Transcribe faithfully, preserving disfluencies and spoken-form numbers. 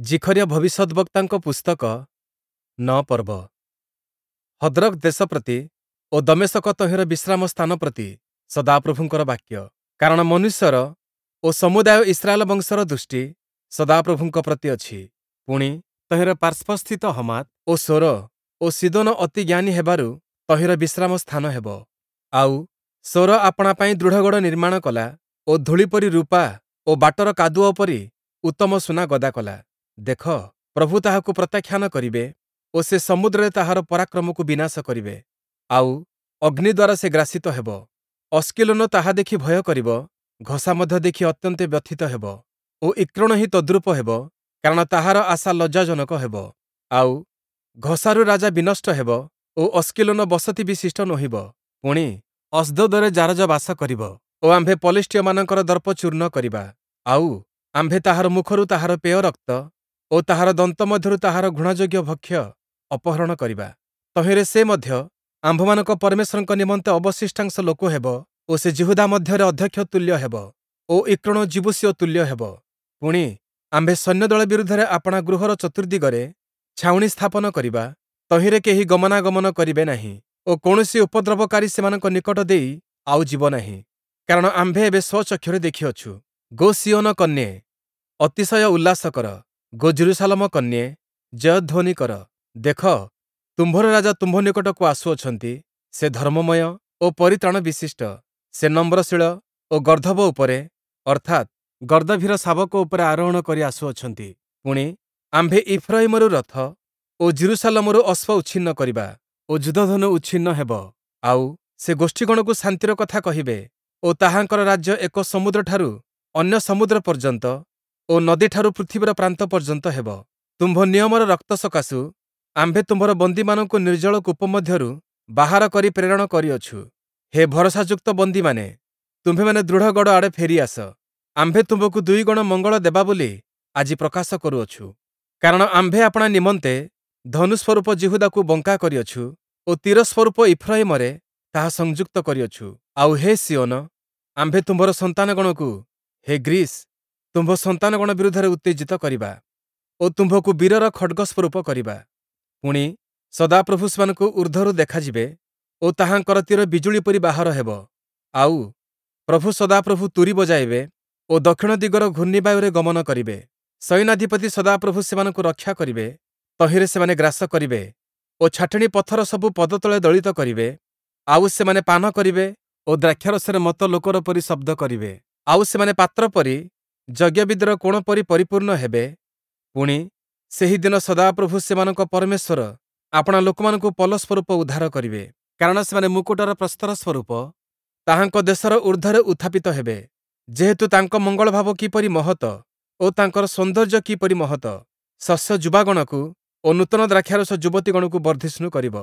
ଜିଖରିୟ ଭବିଷ୍ୟଦ୍‌ବକ୍ତାଙ୍କ ପୁସ୍ତକ ନଅ ପର୍ବ। ହଦ୍ରକ୍ ଦେଶ ପ୍ରତି ଓ ଦମେଶକ ତହିଁର ବିଶ୍ରାମ ସ୍ଥାନ ପ୍ରତି ସଦାପ୍ରଭୁଙ୍କର ବାକ୍ୟ। କାରଣ ମନୁଷ୍ୟର ଓ ସମୁଦାୟ ଇସ୍ରାଏଲ ବଂଶର ଦୃଷ୍ଟି ସଦାପ୍ରଭୁଙ୍କ ପ୍ରତି ଅଛି। ପୁଣି ତହିଁର ପାର୍ଶ୍ୱସ୍ଥିତ ହମାତ୍ ଓ ସୋର ଓ ସୀଦୋନ ଅତି ଜ୍ଞାନୀ ହେବାରୁ ତହିଁର ବିଶ୍ରାମ ସ୍ଥାନ ହେବ। ଆଉ ସୋର ଆପଣା ପାଇଁ ଦୃଢ଼ଗଡ଼ ନିର୍ମାଣ କଲା ଓ ଧୂଳି ପରି ରୂପା ଓ ବାଟର କାଦୁଅ ପରି ଉତ୍ତମ ସୁନା ଗଦା କଲା। ଦେଖ, ପ୍ରଭୁ ତାହାକୁ ପ୍ରତ୍ୟାଖ୍ୟାନ କରିବେ ଓ ସେ ସମୁଦ୍ରରେ ତାହାର ପରାକ୍ରମକୁ ବିନାଶ କରିବେ, ଆଉ ଅଗ୍ନି ଦ୍ୱାରା ସେ ଗ୍ରାସିତ ହେବ। ଅସ୍କିଲୋନ ତାହା ଦେଖି ଭୟ କରିବ, ଘସା ମଧ୍ୟ ଦେଖି ଅତ୍ୟନ୍ତ ବ୍ୟଥିତ ହେବ ଓ ଇକ୍ରୋଣ ହିଁ ତଦ୍ରୂପ ହେବ, କାରଣ ତାହାର ଆଶା ଲଜ୍ଜାଜନକ ହେବ। ଆଉ ଘସାରୁ ରାଜା ବିନଷ୍ଟ ହେବ ଓ ଅସ୍କିଲୋନ ବସତି ବିଶିଷ୍ଟ ନୋହିବ। ପୁଣି ଅସ୍ଦୋଦରେ ଜାରଜ ବାସ କରିବ ଓ ଆମ୍ଭେ ପଲେଷ୍ଟୀୟମାନଙ୍କର ଦର୍ପ ଚୂର୍ଣ୍ଣ କରିବା। ଆଉ ଆମ୍ଭେ ତାହାର ମୁଖରୁ ତାହାର ପେୟ ରକ୍ତ ଓ ତାହାର ଦନ୍ତ ମଧ୍ୟରୁ ତାହାର ଘୃଣାଯୋଗ୍ୟ ଭକ୍ଷ୍ୟ ଅପହରଣ କରିବା। ତହିଁରେ ସେ ମଧ୍ୟ ଆମ୍ଭମାନଙ୍କ ପରମେଶ୍ୱରଙ୍କ ନିମନ୍ତେ ଅବଶିଷ୍ଟାଂଶ ଲୋକ ହେବ ଓ ସେ ଯିହୁଦା ମଧ୍ୟରେ ଅଧ୍ୟକ୍ଷ ତୁଲ୍ୟ ହେବ ଓ ଇକ୍ରୋଣ ଯିବୂସୀୟ ତୁଲ୍ୟ ହେବ। ପୁଣି ଆମ୍ଭେ ସୈନ୍ୟଦଳ ବିରୁଦ୍ଧରେ ଆପଣା ଗୃହର ଚତୁର୍ଦ୍ଦିଗରେ ଛାଉଣି ସ୍ଥାପନ କରିବା, ତହିଁରେ କେହି ଗମନାଗମନ କରିବେ ନାହିଁ ଓ କୌଣସି ଉପଦ୍ରବକାରୀ ସେମାନଙ୍କ ନିକଟ ଦେଇ ଆଉ ଯିବ ନାହିଁ। କାରଣ ଆମ୍ଭେ ଏବେ ସ୍ୱଚକ୍ଷୁରେ ଦେଖିଅଛୁ। ଗୋ ସିୟୋନ କନ୍ୟେ, ଅତିଶୟ ଉଲ୍ଲାସ କର; ଗୋ ଯିରୂଶାଲମ କନ୍ୟେ, ଜୟଧ୍ୱନି କର। ଦେଖ, ତୁମ୍ଭର ରାଜା ତୁମ୍ଭ ନିକଟକୁ ଆସୁଅଛନ୍ତି; ସେ ଧର୍ମମୟ ଓ ପରିତ୍ରାଣ ବିଶିଷ୍ଟ, ସେ ନମ୍ରଶୀଳ ଓ ଗର୍ଦ୍ଦଭ ଉପରେ, ଅର୍ଥାତ୍, ଗର୍ଦ୍ଦଭୀର ଶାବକ ଉପରେ ଆରୋହଣ କରି ଆସୁଅଛନ୍ତି। ପୁଣି, ଆମ୍ଭେ ଇଫ୍ରୟିମରୁ ରଥ ଓ ଯିରୂଶାଲମରୁ ଅଶ୍ୱ ଉଚ୍ଛିନ୍ନ କରିବା ଓ ଯୁଦ୍ଧଧନୁ ଉଚ୍ଛିନ୍ନ ହେବ। ଆଉ ସେ ଗୋଷ୍ଠୀଗଣକୁ ଶାନ୍ତିର କଥା କହିବେ ଓ ତାହାଙ୍କର ରାଜ୍ୟ ଏକ ସମୁଦ୍ରଠାରୁ ଅନ୍ୟ ସମୁଦ୍ର ପର୍ଯ୍ୟନ୍ତ ଓ ନଦୀଠାରୁ ପୃଥିବୀର ପ୍ରାନ୍ତ ପର୍ଯ୍ୟନ୍ତ ହେବ। ତୁମ୍ଭ ନିୟମର ରକ୍ତ ସକାଶୁ ଆମ୍ଭେ ତୁମ୍ଭର ବନ୍ଦୀମାନଙ୍କୁ ନିର୍ଜଳ କୂପ ମଧ୍ୟରୁ ବାହାର କରି ପ୍ରେରଣ କରିଅଛୁ। ହେ ଭରସାଯୁକ୍ତ ବନ୍ଦୀମାନେ, ତୁମ୍ଭେମାନେ ଦୃଢ଼ ଗଡ଼ ଆଡ଼େ ଫେରିଆସ। ଆମ୍ଭେ ତୁମ୍ଭକୁ ଦୁଇଗୁଣ ମଙ୍ଗଳ ଦେବା ବୋଲି ଆଜି ପ୍ରକାଶ କରୁଅଛୁ। କାରଣ ଆମ୍ଭେ ଆପଣା ନିମନ୍ତେ ଧନୁସ୍ୱରୂପ ଯିହୁଦାକୁ ବଙ୍କା କରିଅଛୁ ଓ ତୀର ସ୍ୱରୂପ ଇଫ୍ରୟିମରେ ତାହା ସଂଯୁକ୍ତ କରିଅଛୁ। ଆଉ ହେ ସିୟୋନ, ଆମ୍ଭେ ତୁମ୍ଭର ସନ୍ତାନଗଣକୁ, ହେ ଗ୍ରୀସ୍, ତୁମ୍ଭ ସନ୍ତାନଗଣ ବିରୁଦ୍ଧରେ ଉତ୍ତେଜିତ କରିବା ଓ ତୁମ୍ଭକୁ ବୀରର ଖଡ଼୍ଗ ସ୍ୱରୂପ କରିବା। ପୁଣି, ସଦାପ୍ରଭୁ ସେମାନଙ୍କୁ ଊର୍ଦ୍ଧ୍ୱରୁ ଦେଖାଯିବେ ଓ ତାହାଙ୍କର ତୀର ବିଜୁଳି ପରି ବାହାର ହେବ। ଆଉ ପ୍ରଭୁ ସଦାପ୍ରଭୁ ତୂରୀ ବଜାଇବେ ଓ ଦକ୍ଷିଣ ଦିଗର ଘୂର୍ଣ୍ଣିବାୟୁରେ ଗମନ କରିବେ। ସୈନ୍ୟାଧିପତି ସଦାପ୍ରଭୁ ସେମାନଙ୍କୁ ରକ୍ଷା କରିବେ, ତହିଁରେ ସେମାନେ ଗ୍ରାସ କରିବେ ଓ ଛାଟିଣୀ ପଥର ସବୁ ପଦତଳେ ଦଳିତ କରିବେ। ଆଉ ସେମାନେ ପାନ କରିବେ ଓ ଦ୍ରାକ୍ଷାରସରେ ମତ୍ତ ଲୋକର ପରି ଶବ୍ଦ କରିବେ। ଆଉ ସେମାନେ ପାତ୍ର ପରି ଯଜ୍ଞବେଦୀର କୋଣ ପରି ପରିପୂର୍ଣ୍ଣ ହେବେ। ପୁଣି, ସେହି ଦିନ ସଦାପ୍ରଭୁ ସେମାନଙ୍କ ପରମେଶ୍ୱର ଆପଣା ଲୋକମାନଙ୍କୁ ପଲ ସ୍ୱରୂପ ଉଦ୍ଧାର କରିବେ। କାରଣ ସେମାନେ ମୁକୁଟର ପ୍ରସ୍ତର ସ୍ୱରୂପ ତାହାଙ୍କ ଦେଶର ଊର୍ଦ୍ଧ୍ୱରେ ଉତ୍ଥାପିତ ହେବେ। ଯେହେତୁ ତାଙ୍କ ମଙ୍ଗଳଭାବ କିପରି ମହତ ଓ ତାଙ୍କର ସୌନ୍ଦର୍ଯ୍ୟ କିପରି ମହତ! ଶସ୍ୟ ଯୁବାଗଣକୁ ଓ ନୂତନ ଦ୍ରାକ୍ଷାରସ ଯୁବତୀଗଣକୁ ବର୍ଦ୍ଧିଷ୍ଣୁ କରିବ।